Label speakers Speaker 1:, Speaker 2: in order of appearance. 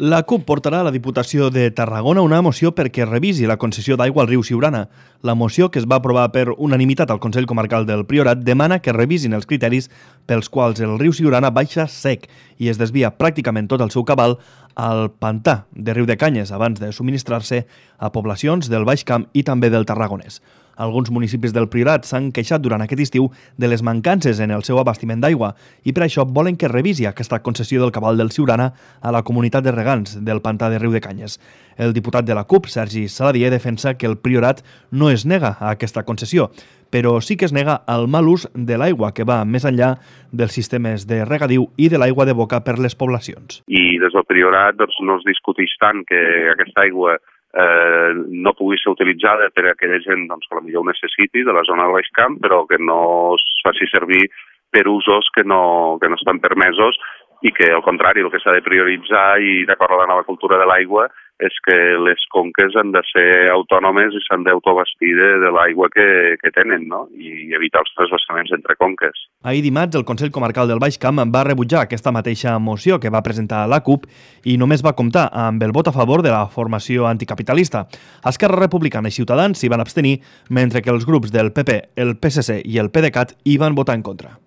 Speaker 1: La CUP portarà a la Diputació de Tarragona una moció perquè revisi la concessió d'aigua al riu Siurana. La moció, que es va aprovar per unanimitat al Consell Comarcal del Priorat, demana que revisin els criteris pels quals el riu Siurana baixa sec i es desvia pràcticament tot el seu cabal al pantà de Riudecanyes abans de subministrar-se a poblacions del Baix Camp i també del Tarragonès. Alguns municipis del Priorat s'han queixat durant aquest estiu de les mancances en el seu abastiment d'aigua i per això volen que revisi aquesta concessió del cabal del Siurana a la comunitat de regants del pantà de Riudecanyes. El diputat de la CUP, Sergi Saladier, defensa que el Priorat no es nega a aquesta concessió, però sí que es nega al mal ús de l'aigua, que va més enllà dels sistemes de regadiu i de l'aigua de boca per les poblacions.
Speaker 2: I des del Priorat no es discuteix tant que aquesta aigua no pugui ser utilitzada per a aquella gent que potser ho necessiti de la zona del Baix Camp, però que no es faci servir per usos que no estan permesos i que, al contrari, el que s'ha de prioritzar i d'acord amb la nova cultura de l'aigua és que les conques han de ser autònomes i s'han d'autoabastir de l'aigua que tenen, no? I evitar els transvasaments entre conques.
Speaker 1: Ahir dimarts, el Consell Comarcal del Baix Camp va rebutjar aquesta mateixa moció que va presentar la CUP i només va comptar amb el vot a favor de la formació anticapitalista. Esquerra Republicana i Ciutadans s'hi van abstenir, mentre que els grups del PP, el PSC i el PDeCAT hi van votar en contra.